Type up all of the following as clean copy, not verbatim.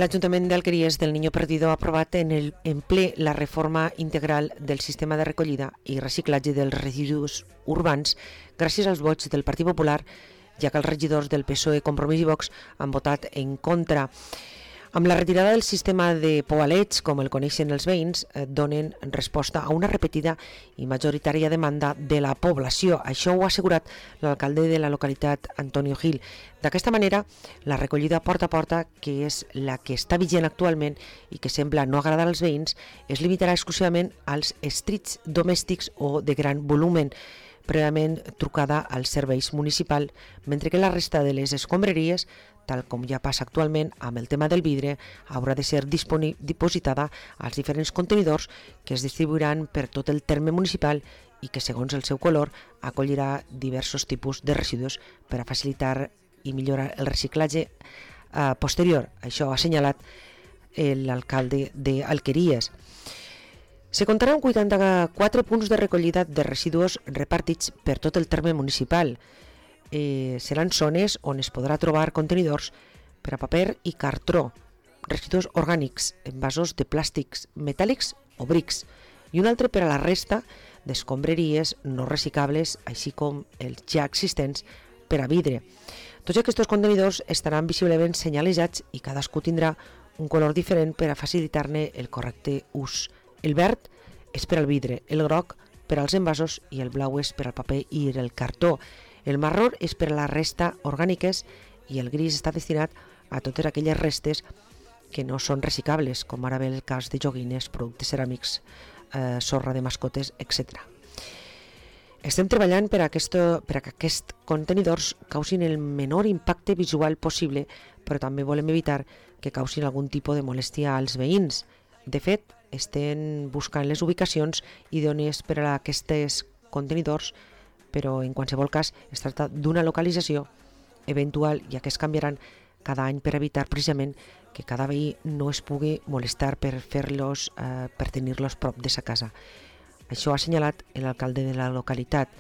L'Ajuntament d'Alqueries del Niño Perdido ha aprovat en ple la reforma integral del sistema de recollida i reciclatge dels residus urbans gràcies als vots del Partit Popular, ja que els regidors del PSOE, Compromís i Vox han votat en contra. Amb la retirada del sistema de poalets, com el coneixen els veïns, donen resposta a una repetida i majoritària demanda de la població. Això ho ha assegurat l'alcalde de la localitat, Antonio Gil. D'aquesta manera, la recollida porta a porta, que és la que està vigent actualment i que sembla no agradar als veïns, es limitarà exclusivament als estrits domèstics o de gran volumen, prèviament trucada als serveis municipals, mentre que la resta de les escombraries, tal com ja passa actualment amb el tema del vidre, haurà de ser dipositada als diferents contenidors que es distribuiran per tot el terme municipal i que, segons el seu color, acollirà diversos tipus de residus per a facilitar i millorar el reciclatge posterior. Això ha assenyalat l'alcalde d'Alqueries. Se comptarà amb 84 punts de recollida de residus repartits per tot el terme municipal. Seran zones on es podrà trobar contenidors per a paper i cartró, residus orgànics, envasos de plàstics, metàl·lics o brics, i un altre per a la resta d'escombraries no reciclables, així com els ja existents per a vidre. Tots aquests contenidors estaran visiblement senyalitzats i cadascú tindrà un color diferent per a facilitar-ne el correcte ús. El verd és per al vidre, el groc per als envasos i el blau és per al paper i el cartó. El marró és per a la resta orgàniques i el gris està destinat a totes aquelles restes que no són reciclables, com ara bé el cas de joguines, productes ceràmics, sorra de mascotes, etc. Estem treballant per a que aquests contenidors causin el menor impacte visual possible, però també volem evitar que causin algun tipus de molèstia als veïns. De fet, estem buscant les ubicacions idones per a aquests contenidors, però en qualsevol cas es tracta d'una localització eventual, ja que es canviaran cada any per evitar precisament que cada veí no es pugui molestar per tenir-los prop de sa casa. Això ha assenyalat l'alcalde de la localitat.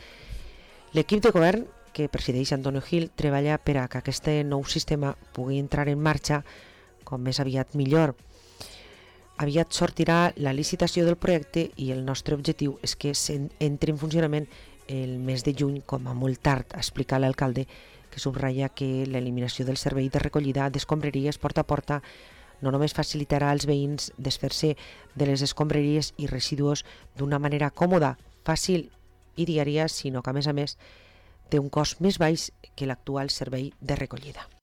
L'equip de govern que presideix Antonio Gil treballa per a que aquest nou sistema pugui entrar en marxa com més aviat millor. Aviat sortirà la licitació del projecte i el nostre objectiu és que entri en funcionament el mes de juny com a molt tard, ha explicat l'alcalde, que subratlla que l'eliminació del servei de recollida d'escombraries porta a porta no només facilitarà als veïns desfer-se de les escombraries i residus d'una manera còmoda, fàcil i diària, sinó que a més té un cost més baix que l'actual servei de recollida.